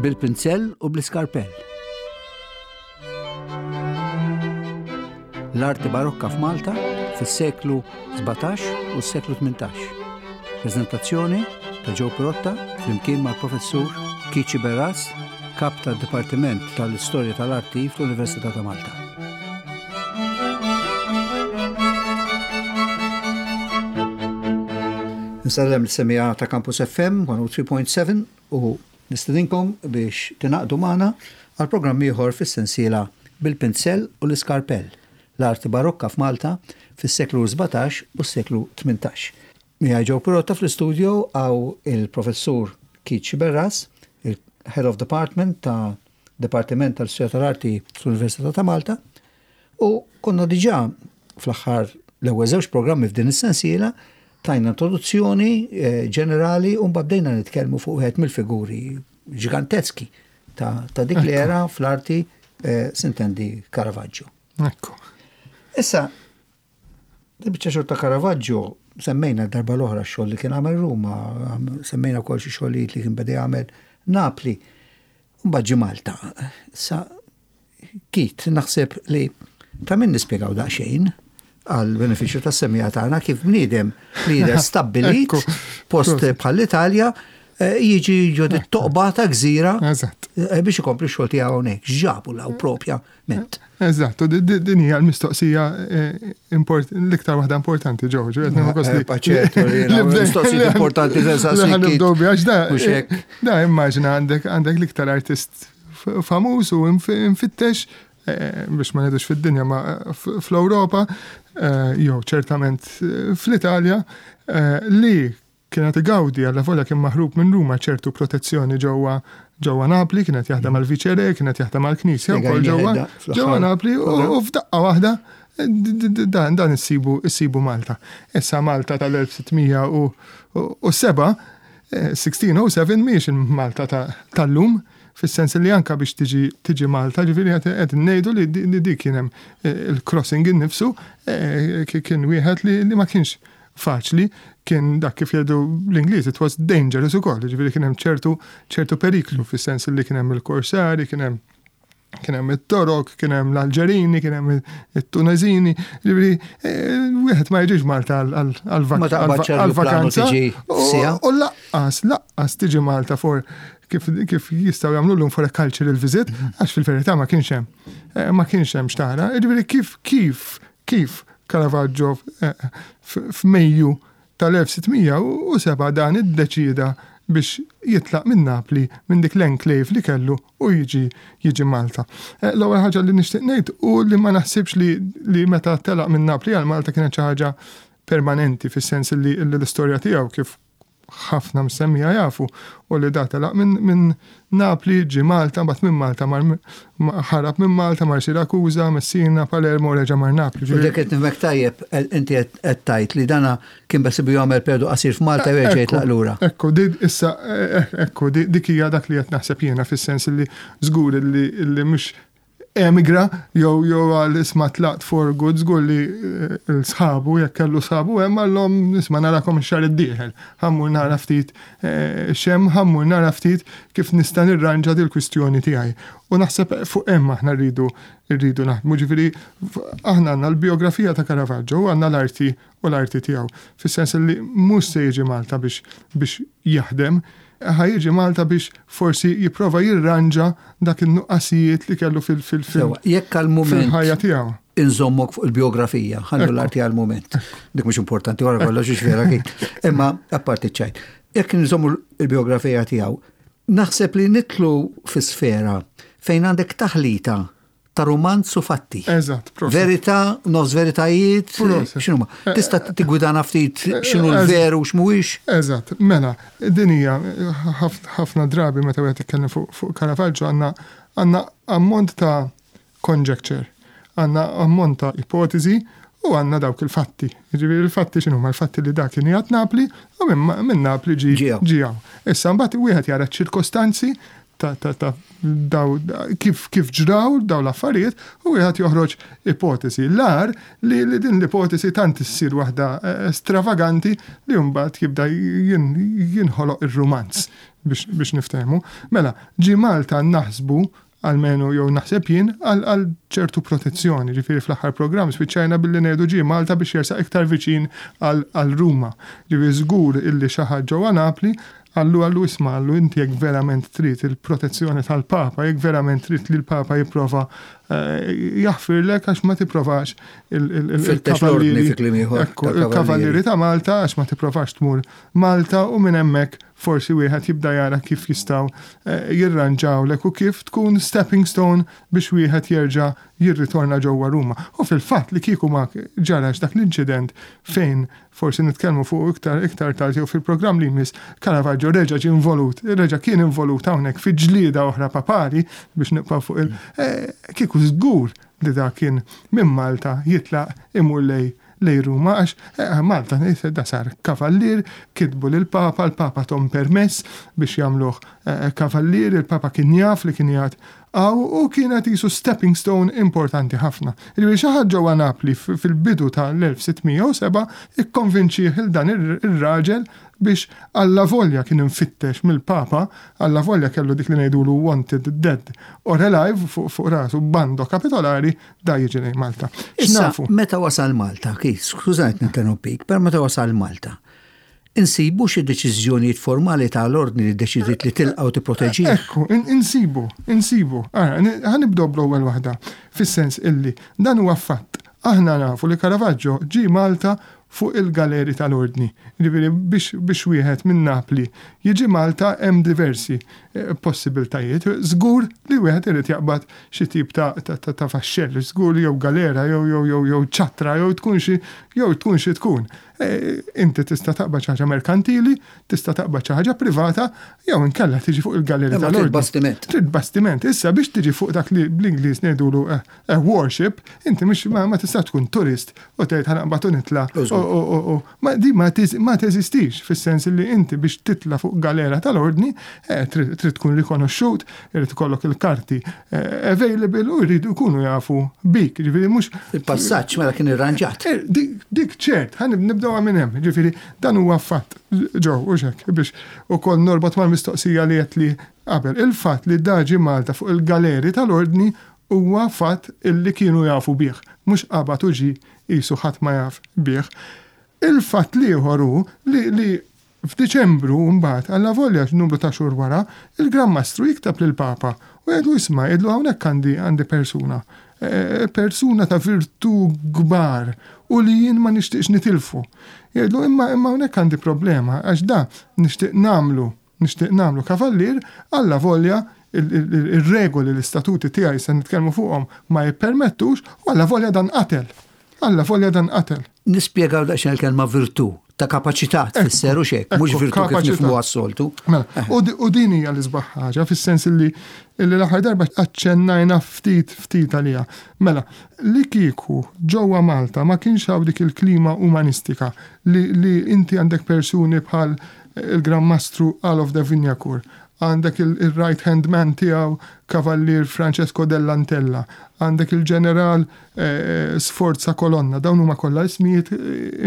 Bil-pinzell u bl-iskarpell. L-arti barokka f'Malta fis-seklu 17 u s-seklu 18. Prezentazzjoni ta' Joe Pirotta flimkien mal-professur Kici Berras, kap tad-Dipartiment tal-Istorja tal-Arti fl-Università ta' Malta. Nsellem l-semija ta' Campus FM 103.7 u nistedinkom biex tingħaqdu magħna għal programm ieħor fis-sensiela Bil-Pinzell u l-Iskarpell, l-arti barokka f'Malta fis-seklu 17 u s-seklu 18. Miegħi Joe Pirotta fl-istudio hawn il-Professur Keith Sciberras, il-Head of Department ta' Dipartiment tal-Istorja tal-Arti fl-Università ta' Malta, u konna diġà fl-aħħar l-ewwel żewġ programmi f'din is-sensiela tajna introduzzjoni eh, ġenerali u mbagħad bdejna nitkellmu fuq wieħed mill-figuri ġiganteski ta', ta dik l-era fl-arti eh, sintendi Caravaggio. Ekku. Issa, Il-biċċa xogħol ta' Caravaggio semmejna darba l-oħra x-xogħol li kien għamel Ruma, semmejna wkoll xi xogħlijiet li kien beda jagħmel Napli. Mbagħad ġie Malta. Sa Kit, naħseb li ta' min nispjegaw daqsxejn għal benefiċċju tas-semija tagħna kif bniedem li jidher stabbilit post bħall-Italja eh, jiġi ġo toqba ta' gżira eh, biex ikompli x-xogħol tiegħu hawnhekk. X'ġabu law propja ment. Eżatt, u din hija l-mistoqsija eh, l-iktar waħda importanti ġew, ġew qed eh, Mistoqsija importanti għax da immaġina għandek għandek l-iktar artist famuż u infittex eh, biex ma ngħidux fid-dinja ma fl-Ewropa jew ċertament fl-Italja li Kien qed igawdi, allavolja kien maħrub minn Ruma, ċertu protezzjoni ġewwa ġewwa Napli, kien qed jaħdem għall-Viċere, kien qed jaħdem għall-Knisja wkoll ġewwa ġewwa Napli u f'daqqa waħda dan dan issibu issibu Malta. Issa Malta tal-1607, 1607 mhijiex il-Malta tal-lum, fis-sens li anka biex tiġi tiġi Malta, ġifieri qed ngħidu li dik kien hemm il-crossing innifsu kien wieħed li ma kienx faċli, kien dak kif jgħidu l-Ingliż, it was dangerous ukoll, ġifieri kien hemm ċertu ċertu periklu fis-sens li kien hemm il-korsari, kien hemm kien hemm it-Torok, kien hemm l-Alġerini, kien hemm it-Tuneżini, ġifieri eh, wieħed ma jiġix Malta għal-vakanza. U laqqas, laqqas tiġi Malta for kif, kif jistgħu jagħmlu llum for a cultural visit, għax fil-verità ma kienx hemm eh, ma kienx hemm xtara. Ġifieri kif kif Kif Caravaggio f'Mejju tal-1607 dan iddeċieda biex jitlaq minn Napli, minn dik l-enclave li kellu u jiġi jiġi Malta. Eh, l-ewwel ħaġa li nixtieq ngħid u li ma naħsibx li, li meta telaq minn Napli għal Malta kienet xi ħaġa permanenti fis-sens li l-istorja tiegħu kif ħafna msemmija jafu u li da telaq minn min Napli ġie Malta, mbagħad minn Malta mar ħarab minn Malta mar Sirakuża, Messina, Palermo u reġa' mar Napli. U dik qed nifhmek tajjeb, inti qed tgħid li dana kien beħsiebu jagħmel perjodu qasir f'Malta u jerġa' jitlaq lura. Ekku, issa ekku, dik hija dak li qed naħseb jiena fis-sens li żgur li mhux emigra jew jew għal isma' tlaqt for good żgur li eh, l-sħabu jekk kellu sħabu hemm għallhom isma' narakom ix-xahar id-dieħel. Ħammur nara ftit eh, xem, ħammur nara ftit kif nista' nirranġa dil-kwistjoni tiegħi. U naħseb fuq hemm aħna rridu rridu naħdmu ġifieri aħna għandna l-biografija ta' Caravaggio u għandna l-arti u l-arti tiegħu. Fis-sens li mhux se jiġi Malta biex biex jaħdem, ħa jiġi Malta biex forsi jipprova jirranġa dak in-nuqqasijiet li kellu fil fil fil Jekk għal-mument fil-ħajja tiegħu. Inżommok fuq il-biografija, ħallu l-arti għal-mument. Dik mhux importanti wara kollox vera kien. Imma apparti ċajt. Jekk nżommu l-biografija tiegħu, naħseb li nitlu fi sfera fejn għandek taħlita ta' rumanz u fatti. Eżatt, proset. Verità, nofs veritajiet, x'inhuma. Eh, Tista' tigwidana ftit eh, x'inhu l-veru u x'mhuwiex? Eżatt, mela, din hija ħafna drabi meta wieħed jitkellem fuq Caravaggio għandna għandna ammont ta' conjecture, għandna ammont ta' ipotezi u għandna dawk il-fatti. Jiġifieri il-fatti x'inhuma? Il-fatti li dak kien qiegħed Napli u minn Napli ġie hawn. Issa mbagħad wieħed jara ċ-ċirkostanzi ta' ta' ta' daw kif kif ġraw daw l-affarijiet u wieħed joħroġ ipotesi. L-agħar li li din l-ipotesi tant issir waħda eh, stravaganti li mbagħad jibda jinħoloq ir-rumanz. biex niftehmu. Mela, ġie Malta naħsbu almenu jew naħseb jien, għal ċertu protezzjoni. Ġifieri fl-aħħar programm spiċċajna billi ngħidu ġie Malta biex jersaq iktar viċin għal Ruma. Ġifieri żgur illi xi ħadd ġewwa Napli qallu qallu isma' qallu inti jekk verament trid il-protezzjoni tal-Papa, jekk verament trid li l-Papa jipprova jaħfirlek għax ma tipprovax il-kavallieri ta' Malta għax ma tipprovax tmur Malta u minn hemmhekk forsi wieħed jibda jara kif jistgħu jirranġawlek u kif tkun stepping stone biex wieħed jerġa' jirritorna ġewwa Ruma. U fil-fatt li kieku ma ġarax dak l-inċident fejn forsi nitkellmu fuqu iktar iktar tard jew fil-programm li jmiss, Caravaggio reġa' ġie involut, reġa' kien involut hawnhekk fi ġlieda oħra papali biex nibqgħu fuq il kieku żgur li dak kien minn Malta jitlaq imur lejn lejn Ruma għax Malta da sar kavallier, kitbu lill-Papa, l-Papa thom permess biex jagħmluh kavallier, il-Papa kien jaf li kien qiegħed hawn u kienet qisu stepping stone importanti ħafna. Jiġifieri xi ħadd ġewwa Napli fil-bidu tal-1607 ikkonvinċih 'il dan ir-raġel biex allavolja kien imfittex mill-Papa, allavolja kellu dik li ngħidulu wanted dead or alive fuq rasu bando kapitolari, da jiġi lejn Malta. Issa, meta wasal Malta, kif, skużajt ninterrompik, per meta wasal Malta, insibu xi deċiżjonijiet formali ta' l-ordni li deċidiet li tilqa' u tipproteġih? Ekku, insibu, insibu. Ara, ħa nibdew bl-ewwel waħda, fis-sens illi dan huwa fatt. Aħna nafu li Caravaggio ġie Malta fuq il-galeri tal-Ordni. Jiġifieri biex biex wieħed minn Napli jiġi Malta hemm diversi possibiltajiet. Żgur li wieħed irid jaqbad xi tip ta' ta' vaxxell, żgur jew galera jew jew jew jew ċattra jew tkun xi jew tkun xi tkun. Inti tista' taqbad xi ħaġa merkantili, tista' taqbad xi ħaġa privata jew inkella tiġi fuq il-galeri tal-Ordni. Trid bastiment. Trid bastiment. Issa biex tiġi fuq dak li bl-Ingliż ngħidulu A warship, inti mhux ma tistax tkun turist u tgħid ħa naqbad u nitla' u ma di ma teżistix fis-sens li inti biex titla' fuq galera tal-Ordni trid tkun rikonoxxut, irid ikollok il-karti available u jridu jkunu jafu bik, jiġifieri mhux. Il-passaġġ mela kien irranġat. Dik ċert, ħa nibdewha minn hemm, jiġifieri dan huwa fatt ġew hux hekk biex ukoll norbot mal-mistoqsija li għedtli qabel. Il-fatt li da ġie Malta fuq il-galeri tal-Ordni Huwa fatt illi kienu jafu bih, mhux qabad u ġie qisu ħadd ma jaf bih. Il-fatt l-ieħor hu li li f'Diċembru mbagħad, allavolja numru ta' xhur wara, il-Gran Mastru jikteb lill-Papa u jgħidlu isma' jgħidlu hawnhekk għandi għandi persuna, persuna ta' virtù kbar u li jien ma nixtieqx nitilfu. Jgħidlu imma imma hawnhekk għandi problema għax da nixtieq nagħmlu Nixtieq nagħmlu kavallier, allavolja ir-regoli, l-istatuti tiegħi se nitkellmu fuqhom ma jippermettux, u allavolja dan qatel. Allavolja dan qatel. Nispjegaw daqsxejn il-kelma virtù, ta' kapaċità tfisser u xek, mhux virtù kif nifhmuha s-soltu. Mela, u din hija l-isbaħ ħaġa fis-sens li l-aħħar darba aċċennajna ftit ftit għaliha. Mela, li kieku ġewwa Malta ma kienx hawn dik il-klima umanistika li inti għandek persuni bħal il-Gran Mastru Alof de Wignacourt, għandek il-right hand man tiegħu Kavallier Francesco dell'Antella, għandek il-Ġeneral Sforza Colonna, dawn huma kollha ismijiet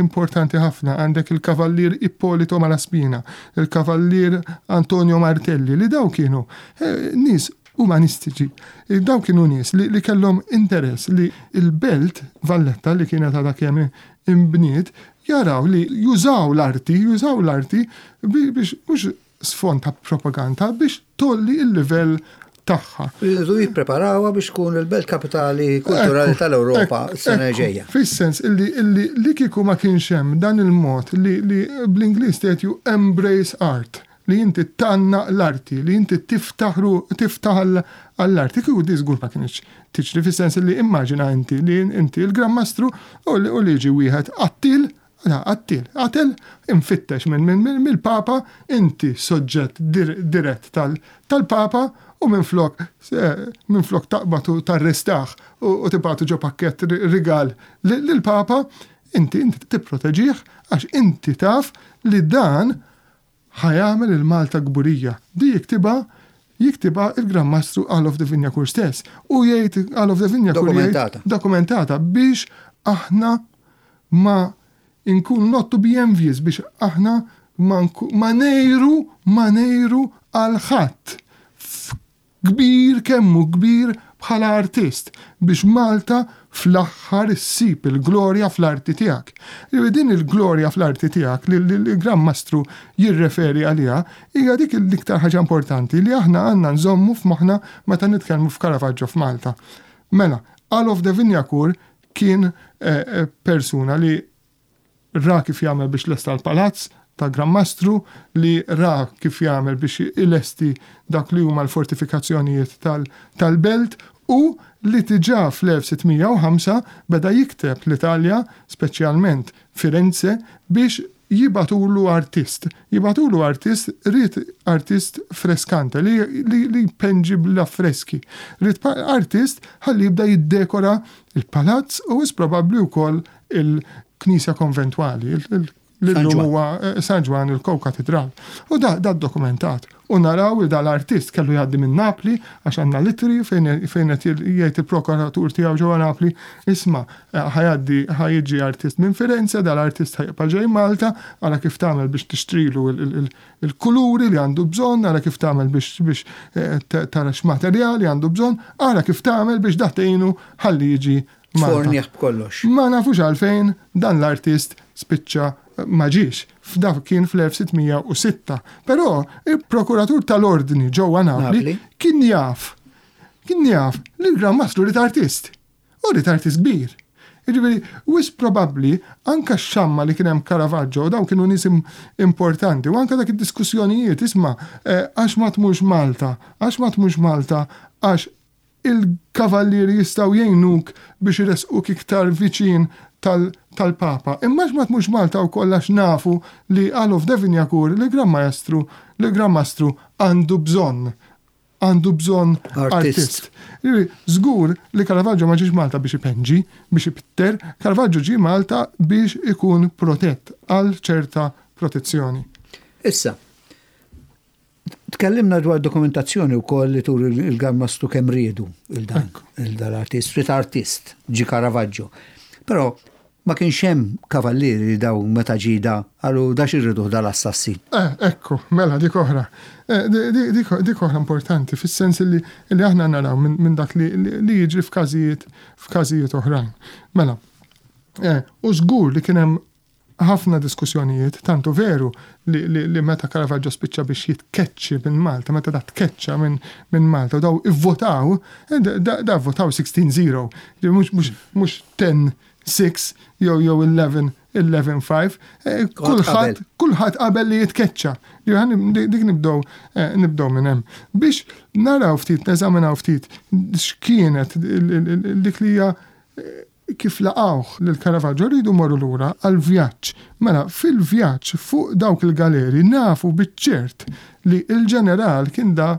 importanti ħafna, għandek il-Kavallier Ippolito Malaspina, il-Kavallier Antonio Martelli, li dawn kienu nies umanistiċi. Dawn kienu nies li kellhom interess li l-belt Valletta li kienet għadha kemm inbniet jaraw li jużaw l-arti, jużaw l-arti biex mhux sfond ta' propaganda biex tgħolli l-livell tagħha. Rridu jippreparawha biex tkun il-belt kapitali kulturali tal-Ewropa s-sena ġejja. Fis-sens illi illi li kieku ma kienx hemm dan il-mod li li bl-Ingliż tgħid you embrace art, li inti tgħannaq l-arti, li inti tiftaħ tiftaħ għall-arti, kieku di żgur ma kinitx tiġri fis-sens li immaġina inti li inti l-Gran Mastru u li jiġi wieħed qattiel, qattiel, qatel, imfittex mill-Papa, inti soġġett dirett tal-Papa u minflok minflok taqbad u tarrestah u tibgħatu ġo pakkett rigal lill-Papa, inti inti tipproteġih għax inti taf li dan Ħa jagħmel il Malta kburija. Di jiktibha jiktibha il-Gran Mastru Alof de Wignacourt stess. U jgħid Alof de Wignacourt Dokumentata. Dokumentata biex aħna ma nkunu not to be envious biex aħna ma ma ngħiru ma ngħiru. għal ħadd Kbir kemm hu kbir bħala artist biex Malta fl-aħħar issib il-glorja fl-arti tiegħek. Jiġifieri din il-glorja fl-arti tiegħek li l-Gran Mastru jirreferi għaliha hija dik l-iktar ħaġa importanti li aħna għandna nżommu f'moħħna meta nitkellmu f'Caravaggio f'Malta. Mela, Alof de Wignacourt kien persuna li Ra kif jagħmel biex lesta l-palazz ta' Gran Mastru, li ra kif jagħmel biex ilesti dak li huma l-fortifikazzjonijiet tal-belt u li diġà fl-1605 beda jikteb l-Italja, speċjalment Firenze, biex jibagħtulu artist. Jibagħtulu artist, ried artist freskante li li jpenġi bl-affreski. Ried artist ħalli jibda jiddekora l-palazz u wisq probabbli wkoll il-knisja konventwali, li llum huwa eh, San Ġwann il-Ko-Katedral. U da, da dokumentat. U naraw li dal-artist kellu jgħaddi minn Napli għax għandna litri fejn qed jgħid il-prokuratur tiegħu ġewwa Napli, isma' eh, ħajgħaddi ħajġi artist minn Firenze, dal-artist ħajbqa' ġej Malta, ara kif tagħmel biex tixtrilu il-kuluri li għandu bżonn, ara kif tagħmel biex eh, tara x'materjali għandu bżonn, ara kif tagħmel biex daħtejnu ħalli jiġi Malta. Fornieh b'kollox. Ma nafux għalfejn dan l-artist spiċċa ma ġiex. F'dak kien fl-1606. Però il-prokuratur tal-ordni ġewwa Napli kien jaf kien jaf li l-Gran Mastru ried artist. U ried artist kbir. Jiġifieri, wisq probabbli anke x-xamma li kien hemm Caravaggio u dawn kienu nies importanti u anke dak id-diskussjonijiet isma' eh, għax ma tmurx Malta, għax ma tmurx Malta, għax Il-kavallieri jistgħu jgħinuk biex iressquk iktar viċin tal-Papa. Imma għax ma tmurx Malta wkoll għax nafu li Alof de Wignacourt, l-Gran Maestru, l-Gran Mastru għandu bżonn, għandu bżonn artist. Jiġifieri, żgur li Caravaggio ma ġiex Malta biex ipenġi, biex ipitter, Caravaggio ġie Malta biex ikun protett għal ċerta protezzjoni. Issa, Tkellimna dwar dokumentazzjoni wkoll li turi l-Gran Mastru kemm riedu il-dan il-artist, street artist, ġi Caravaggio. Però ma kienx hemm kavallieri li daw meta ġie da qalu da x'irriduh dal-assassin. Eh, ekku, mela dik oħra. Eh, dik oħra importanti fis-sens li aħna naraw minn dak li jiġri f'każijiet f'każijiet oħrajn. Mela, eh, u żgur li kien hemm ħafna diskussjonijiet, tant hu veru li, li, li meta Caravaggio spiċċa biex jitkeċċi minn Malta, meta da tkeċċa minn min Malta, u daw ivvotaw, eh, da, da votaw 16-0, mhux mhux mhux 10-6 jew jew 11 11-5, eh, kulħadd kulħadd qabel li jitkeċċa. Dik nibdew eh, nibdew minn hemm. Biex naraw ftit, neżaminaw ftit x'kienet dik li hija Kif laqgħuh lil Caravaggio rridu mmorru lura għall-vjaġġ. Mela, fil-vjaġġ fuq dawk il-galeri nafu biċ-ċert li l-ġeneral kien da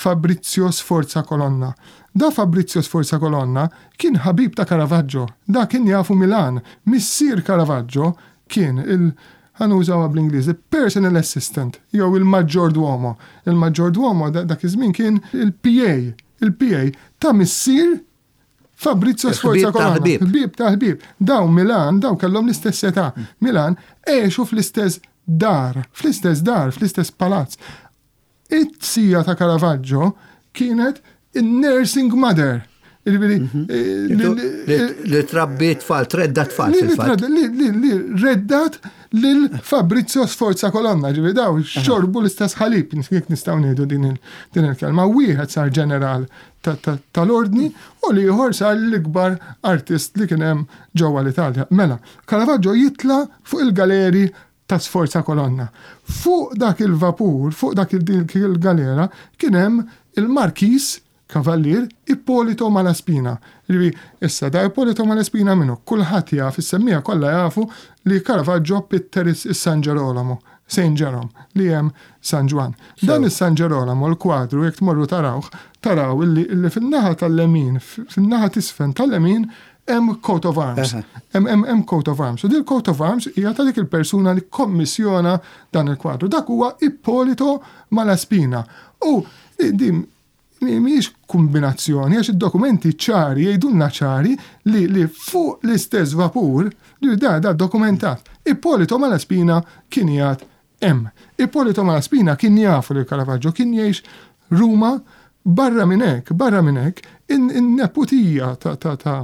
Fabrizio Sforza Colonna. Da Fabrizio Sforza Colonna kien ħabib ta' Caravaggio. Da kien jafu Milan. Missier Caravaggio kien il, ħa nużawha bl-Ingliż, the personal assistant jew il-maggiorduomo. Il-maggiorduomo dak iż-żmien kien il-PA, il-PA ta' missier Fabrizio Sforza Colonna. Ħbieb ta' ħbieb. Dawn Milan, dawn kellhom l-istess età. Milan għexu fl-istess dar, fl-istess dar, fl-istess palazz. It-sija ta' Caravaggio kienet in-nursing mother. Jiġifieri, mhm. eh, li trabbi tfal, tredda tfal. Li reddat lil Fabrizio Sforza Colonna, ġifieri daw xorbu l-istess ħalib, jekk nistgħu ngħidu din il-kelma. Wieħed sar ġeneral tal-ordni u l-ieħor sar l-ikbar artist li kien hemm ġewwa l-Italja. Mela, Caravaggio jitla' fuq il-galeri ta' Sforza Colonna. Fuq dak il-vapur, fuq dak il-galera, kien hemm il-Markiż Kavallier Ippolito Malaspina. Ġifieri, issa da Ippolito Malaspina min hu? Kulħadd jaf, is-semmiegħa kollha jafu li Caravaggio pitter is-San Ġerolomo. Saint Jerome, li hemm San Ġwann. Dan is-San Ġerolamo, l-kwadru, jekk tmorru tarawh, taraw illi illi fin-naħa tal-lemin, fin-naħa t'isfel tal-lemin hemm coat of arms. Hemm hemm coat of arms. U din coat of arms hija ta' dik il-persuna li kkommissjona dan il-kwadru. Dak huwa Ippolito Malaspina. U din mhijiex kumbinazzjoni għax id-dokumenti ċari jgħidulna ċari li li fuq l-istess vapur, li da da dokumentat, Ippolito Malaspina kien jgħad hemm. Ippolito Malaspina kien jafu lil Caravaggio, kien jgħix Ruma barra minn hekk, barra minn hekk, in-neputija ta' ta' ta'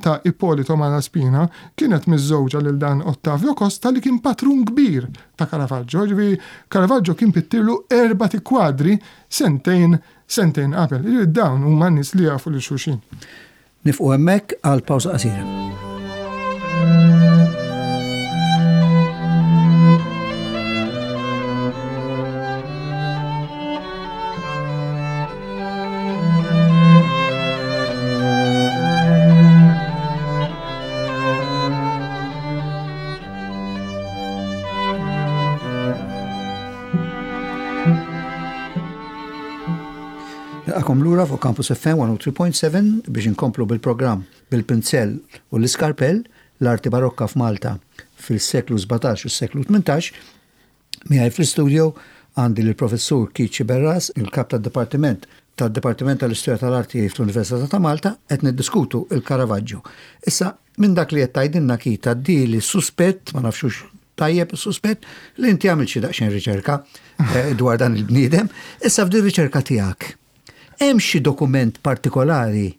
ta' Ippolito Malaspina kienet miżżewġa lil dan Ottavio Costa li kien patrun kbir ta' Caravaggio. Ġifieri Caravaggio kien pittirlu erbat ikwadri sentejn sentejn qabel. Ġifieri dawn huma nies li jafu lil xulxin. Nifqu hemmhekk għal pawża qasira. Nilqakom lura fuq Campus FM 103.7 biex inkomplu bil-programm bil-pinzell u l-iskarpell l-arti barokka f'Malta fil-seklu 17 u s-seklu 18. Miegħi fl-istudio għandi lill-Professur Keith Sciberras, il-Kap tad-Dipartiment tad-Dipartiment tal-Istorja tal-Arti fl-Università ta' Malta, qed niddiskutu il-Caravaggio. Issa, minn dak li qed tgħidilna Keith għaddieli suspett, ma nafx hux tajjeb is-suspett, li inti għamilt xi daqsxejn riċerka eh, dwar dan il-bniedem. Issa f'din riċerka tiegħek, hemm xi dokument partikolari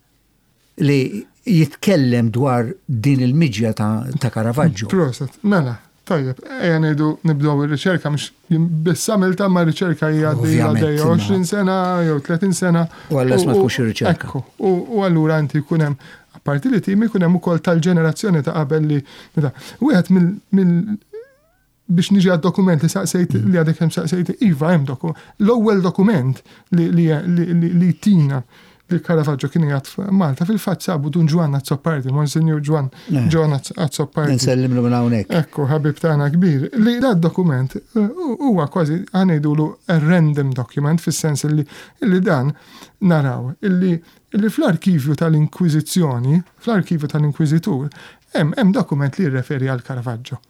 li jitkellem dwar din il-miġja ta' Caravaggio. Proset, mela, tajjeb, ejja ngħidu nibdew ir-riċerka mhux biss għamilta ma riċerka hija għaddejja 20 sena jew 30 sena. U għallas ma tkunx ir-riċerka. Ekku, u allura inti jkun hemm apparti li tim ikun hemm ukoll tal-ġenerazzjoni ta' qabel li wieħed mill biex niġi għad-dokument li saqsejt li għadek hemm saqsejt, iva hemm dokument. L-ewwel dokument li li tina li Caravaggio kien jgħat Malta fil-fatt sabu Dun Ġwann Azzopardi, Monsinjur Ġwann Ġwann Azzopardi. Nsellimlu minn hawnhekk. Ekku, ħabib tagħna kbir. Li da dokument eh, huwa kważi ħanejdulu a random document fis-sens li li dan naraw illi illi fl-arkivju tal-Inkwiżizzjoni, fl-arkivju tal-Inkwiżitur, hemm dokument li jirreferi għal Caravaggio.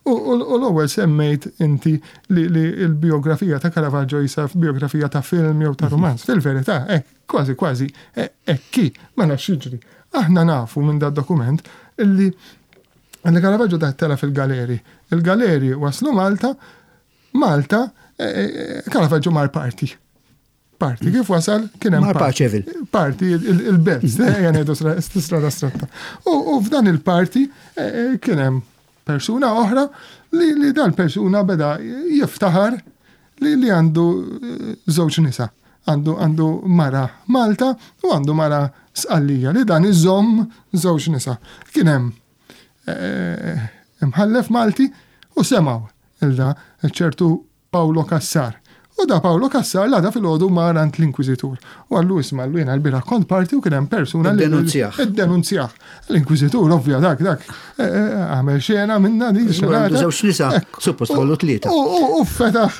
U l-ewwel semmejt inti li l-bijografija ta' Caravaggio jisa bijografija ta' film jew ta' romanz. Fil-verità, hekk, kważi kważi hekk hi, mela x'jiġri? Aħna nafu minn dad-dokument illi li Caravaggio da tela' fil-galeri. Il-galeri waslu Malta, Malta, Caravaggio mar party. Parti, kif wasal kien hemm. Mar Paċevil. Parti, il-belt, ejja ngħidu strada stretta. U f'dan il-parti eh, eh, kien hemm persuna oħra li dal persuna beda jiftaħar li li għandu eh, żewġ nisa. Għandu għandu mara Malta u għandu mara Sqallija li dan iżomm żewġ nisa. Kien hemm imħallef Malti u semgħu il-da ċertu Paolo Cassar. U da Paolo Cassar l-għada filgħodu mar għand l-Inkwiżitur. U qallu isma' qallu jiena l-bieraħ kont parti u kien hemm persuna li. Iddenunzjah. Iddenunzjah. L-Inkwiżitur ovvja dak dak eh, eh, għamel xena minna din xena. Żewġ nisa, suppost kollu tlieta. U fetaħ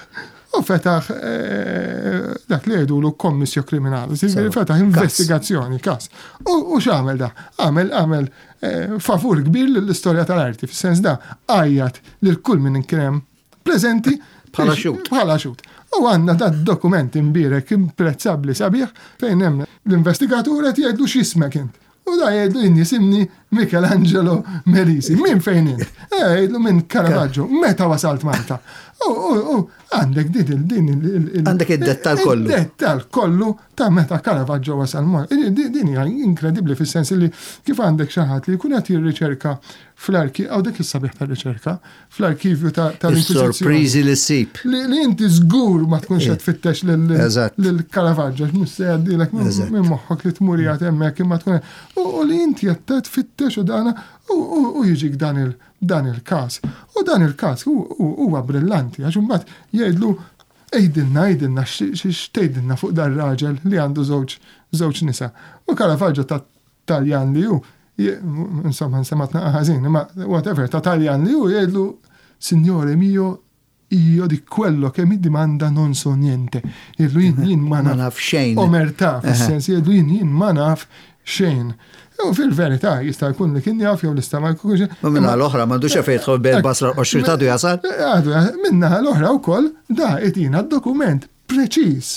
u fetaħ eh, dak li jgħidulu kommissjo kriminali, fetaħ investigazzjoni, kas. U x'għamel da? Għamel għamel favur kbir lill-istorja tal-arti, fis-sens da għajjat lil kull min kien hemm Preżenti bħala xhud. Bħala xhud. U għandna da dokument imbierek imprezzabbli sabiħ fejn hemm l-investigatur qed jgħidlu x'ismek int. U da jgħidlu jien jisimni Michelangelo Merisi. Min fejn int? Eh, jgħidlu minn Caravaggio. Meta wasalt Malta? U għandek din din il Għandek id-dettal kollu. Id-dettal kollu ta' meta Caravaggio wasal Malta. Din hija inkredibbli fis-sens li kif għandek xi ħadd li jkun qed jirriċerka fl-arki, għaw dik is-sabiħ tar-riċerka, fl-arkivju tal-Inkwiżizzjoni. Sorpriżi li ssib. Li inti żgur ma tkunx qed tfittex lil Caravaggio, mhux se jgħaddilek minn moħħok li tmur jgħid hemmhekk imma tkun u li inti qed tfittex u dana u jiġik dan il dan il-każ. U dan il-każ huwa brillanti għax imbagħad jgħidlu għidilna għidilna x'tgħidilna fuq dar-raġel li għandu żewġ żewġ nisa. U Caravaggio ta' Taljan li hu, insomma nsemat naqa' ħażin, imma whatever, ta' Taljan li hu jgħidlu Signore mio, io di quello che mi dimanda non so niente. Jgħidlu jien jien ma naf xejn. Omertà, fis-sens jgħidlu jien jien ma naf xejn. U fil-verità jista' jkun li kien jaf jew li ma jkunx. Ma minna l-oħra m'għandux fejn jidħol bejn basra u ta' jasal. Għadu, minna l-oħra wkoll da itina d-dokument preċiż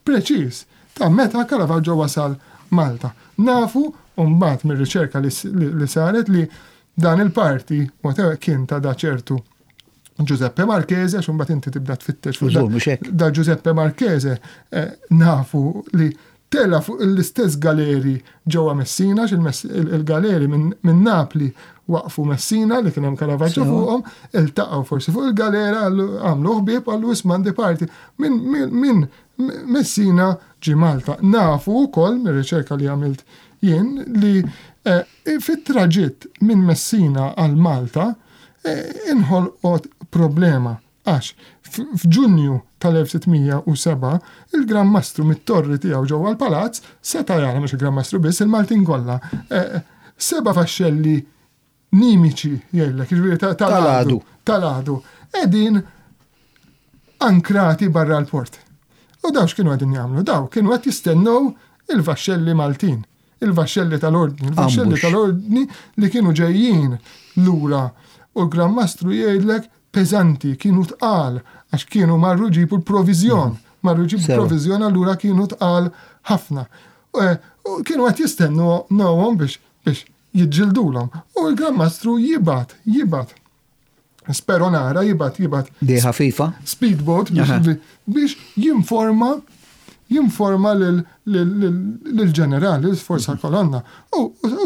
preċiż ta' meta Caravaggio wasal Malta. Nafu mbagħad mir-riċerka li saret li dan il-parti whatever kien ta' da ċertu. Giuseppe Marchese, għax imbagħad inti tibda tfittex fuq da Giuseppe Marchese eh, nafu li tela fuq l-istess galeri ġewwa Messina, il-galeri minn Napli waqfu Messina li kien hemm Caravaggio fuqhom, iltaqgħu forsi fuq il-galera għamlu ħbieb għallu isma' għandi parti minn Messina ġi Malta. Nafu wkoll mir-riċerka li għamilt jien li eh, fit-traġitt minn Messina għal Malta Inħolqot problema għax f'Ġunju tal-1607 il-Gran Mastru mit-torri tiegħu ġewwa l-palazz seta' jara, mhux il-Gran Mastru biss, il-Maltin kollha, seba' vaxxelli nimiċi jgħidlek, jiġifieri tal-għadu, tal-għadu, qegħdin ankrati barra l-port. U daw x'kienu qegħdin jagħmlu? Daw kienu qed jistennew il-vaxxelli Maltin. Il-vaxxelli tal-Ordni, il-vaxxelli tal-Ordni li kienu ġejjin lura u l-Gran Mastru jgħidlek peżanti, kienu tqal għax kienu marru jġibu l-proviżjon, mm. marru jġibu l-proviżjon allura kienu tqal ħafna. Eh, kienu qed jistennu nowhom biex biex jiġġildulhom. U l-Gran Mastru jibgħat, jibgħat Speronara jibgħat jibgħat. Di ħafifa. Speedboat biex jinforma jinforma lill-ġeneral, lill-forza mhm. kolonna. U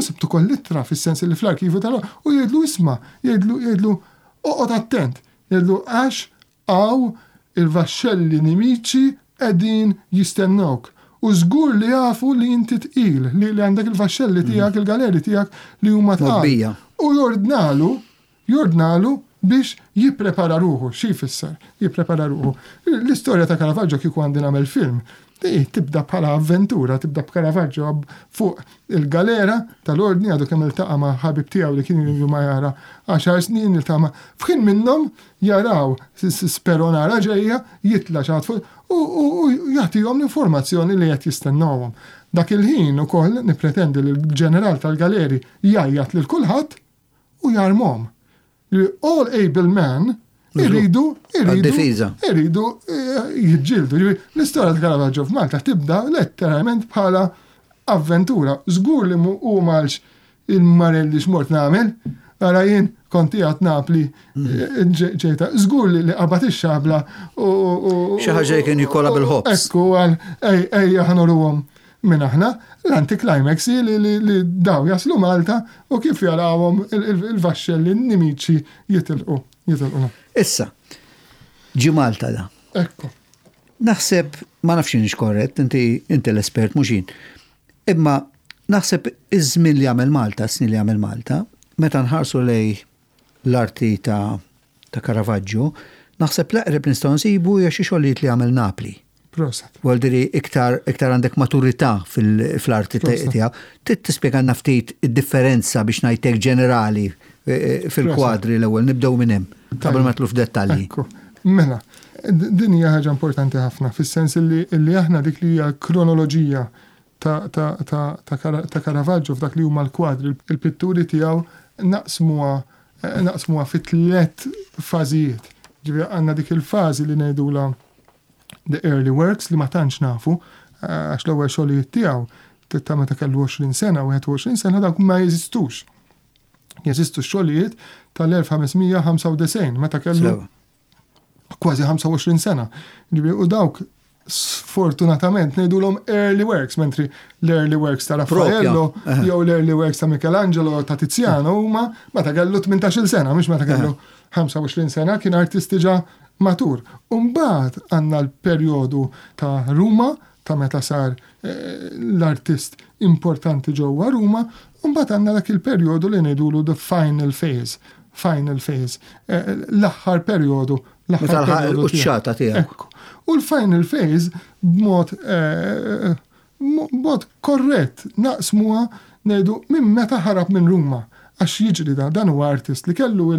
sibtu koll ittra fis-sens li fl-arkivu tal u jgħidlu isma' jgħidlu jgħidlu oqgħod attent, jgħidlu għax hawn il-vaxxelli nimiċi qegħdin jistennewk. U żgur li jafu li inti tqil, li għandek il-vaxxelli mhm. tiegħek, il-galeri tiegħek li huma tqal. U jordnalu Jordnalu biex jipprepara ruħu. Xi jfisser jipprepara ruħu? L-istorja ta' Caravaggio kieku għandi nagħmel film, tibda bħala avventura, tibda b'Caravaggio fuq il-galera tal-Ordni għadu kemm iltaqa' ma' ħabib tiegħu li kien ilu ma jara għaxar snin iltaqa' ma' f'ħin minnhom jaraw speronara ġejja, jitla' xi ħadd fuq u jagħtihom l-informazzjoni li qed jistennewhom. Dak il-ħin ukoll nippretendi li l-ġeneral tal-galeri jgħajjat lil kulħadd u jarmhom. All able men iridu iridu iridu eh, jiġġieldu. L-istorja ta' Caravaggio f'Malta tibda letteralment bħala avventura. Żgur li hu malx il-marelli x'mort nagħmel, ara jien kont qiegħed Napli mm. eh, ġejta. Żgur li qabad ix-xabla u xi ħaġa kien jkollha bil-ħobż. Ekku għal ej ej ħanoruhom Min aħna, l-anticlimax hi li li daw jaslu Malta u kif jarawhom il-vaxxelli n-nimiċi jitilqu, jitilqu. Issa, ġie Malta da. Ekku. Naħseb, ma nafx inix korrett, inti inti l-espert mhux jien. Imma naħseb iż-żmien li għamel Malta, s-snin li għamel Malta, meta nħarsu lej l-arti ta' ta' Caravaggio, naħseb l-eqreb li nistgħu nsibu hija xi xogħlijiet li għamel Napli. Proset. Vuol iktar iktar għandek maturità fil-arti tiegħu. Trid tispjegalna ftit id-differenza biex ngħidlek ġenerali eh, eh, fil-kwadri l-ewwel nibdew minn hemm qabel ma tlu f'dettalji. Mela, din hija ħaġa importanti ħafna fis-sens li aħna dik li hija kronoloġija ta' Caravaggio f'dak li huma l-kwadri, il-pitturi tiegħu naqsmuha naqsmuha fi tliet fażijiet. Ġifieri għandna dik il-fażi li ngħidulha the early works li ma tantx nafu għax l-ewwel xogħlijiet tiegħu ta' meta kellu 20 sena, 21 sena dawk ma jeżistux. Jeżistu x-xogħlijiet tal-1595 meta kellu kważi 25 sena. U dawk sfortunatament ngħidulhom early works, mentri l-early works ta' Raffaello jew l-early works ta' Michelangelo ta' Tiziano huma meta kellu 18-il sena, mhux meta kellu 25 sena, kien artist diġà matur. U mbagħad għandna l-perjodu ta' Ruma, ta' meta sar eh, l-artist importanti ġewwa Ruma, u mbagħad għandna dak il-perjodu li ngħidulu the final phase, final phase, eh, l-aħħar perjodu, l-aħħar perjodu. Quċċata tiegħek. U l-final phase b'mod eh, b'mod korrett naqsmuha ngħidu minn meta ħarab minn Ruma. Għax jiġri dan, dan huwa artist li kellu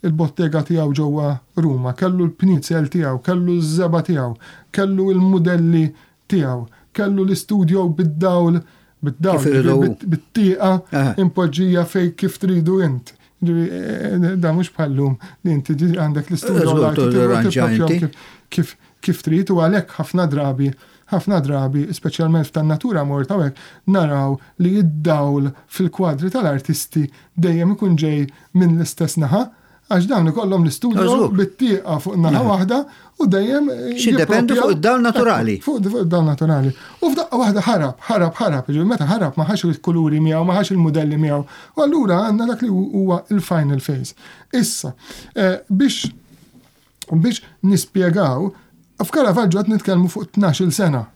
il-bottega tiegħu ġewwa Ruma, kellu l-pnizel tiegħu, kellu ż-żebgħa tiegħu, kellu l-mudelli tiegħu, kellu l-istudio bid-dawl, bid-dawl, bit-tieqa impoġġija fejn kif tridu int. Da mhux bħal-lum li inti għandek l-istudio kif kif trid u għalhekk ħafna drabi, ħafna drabi, speċjalment f'tan-natura morta u hekk, naraw li d-dawl fil-kwadri tal-artisti dejjem ikun ġej minn l-istess naħa. Għax dawn ikollhom l-istudio bit-tieqa fuq naħa waħda u dejjem. X'jiddependu fuq id-dawl naturali. Fuq id-dawl naturali. U f'daqqa waħda ħarab, ħarab, ħarab. Jiġifieri meta ħarab ma ħax il-kuluri miegħu, ma ħax il-mudelli miegħu. U allura għandna dak li huwa il-final phase. Issa, eh, biex biex nispjegaw, f'Caravaggio qed nitkellmu fuq 12-il sena.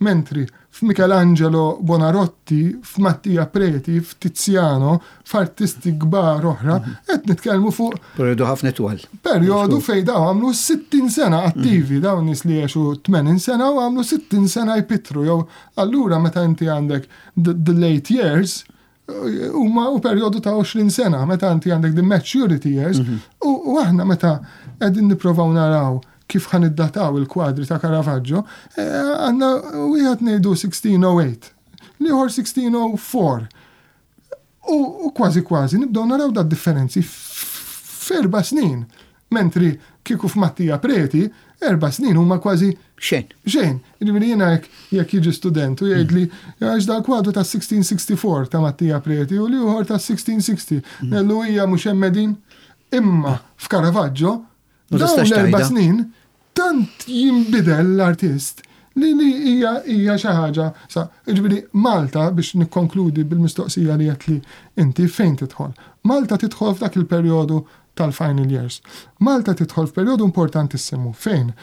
Mentri f'Michelangelo Bonarotti, f'Mattia Preti, f'Tiziano, f'artisti kbar oħra, qed nitkellmu fuq Perjodu ħafna twal. Perjodu fejn dawn għamlu 60 sena attivi, dawn nies li għexu 80 sena u għamlu 60 sena jpittru jew allura meta inti għandek the late years huma u perjodu ta' 20 sena meta inti għandek the maturity years mhm. u aħna meta qegħdin nipprovaw naraw kif ħan iddataw il-kwadri ta' Caravaggio, eh, għandna wieħed ngħidu 1608, l-ieħor 1604. U kważi kważi nibdew naraw da differenzi f'erba' snin. Mentri kieku f'Mattia Preti, erba' snin huma kważi Xejn. Xejn. Jiġifieri jiena jekk jekk jiġi student u jgħidli għax dal-kwadru ta' 1664 ta' Mattia Preti u l-ieħor ta' 1660. Ngħidlu hija mhux hemm qegħdin. Imma f'Caravaggio dawn l-erba' snin tant jinbidel l-artist li li hija hija xi ħaġa sa jiġifieri Malta biex nikkonkludi bil-mistoqsija li għedtli inti fejn tidħol. Malta tidħol f'dak il-perjodu tal-final years. Malta tidħol f'perjodu importantissimu fejn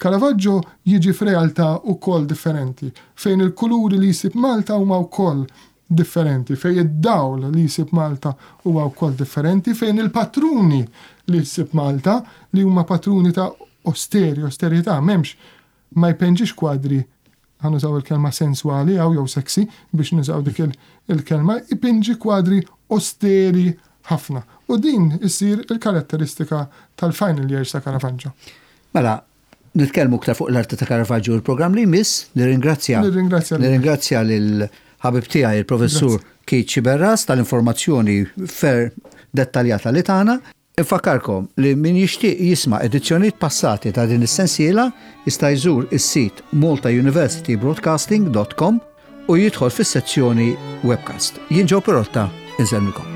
Caravaggio jiġi f'realtà wkoll differenti, fejn il-kuluri li jsib Malta huma wkoll differenti, fejn id-dawl li jsib Malta huwa wkoll differenti, fejn il-patruni li ssib Malta, li huma patruni ta' osteri, osterità, m'hemmx, ma jpenġix kwadri, ħa nużaw il-kelma senswali hawn jew sexy biex nużaw dik il-kelma, ipinġi kwadri osteri ħafna. U din issir il-karatteristika tal-final years ta' Caravaggio. Mela, nitkellmu iktar fuq l-arti ta' Caravaggio l-programm li jmiss, nirringrazzja. Nirringrazzja. Nirringrazzja lil ħabib tiegħi il-professur Keith Sciberras tal-informazzjoni fer dettaljata li tagħna. Infakkarkom li min jixtieq jisma' edizzjonijiet passati ta' din is-sensiela jista' jżur is-sit maltauniversitybroadcasting.com u jidħol fis-sezzjoni webcast. Jien Joe Pirotta, insellmilkom.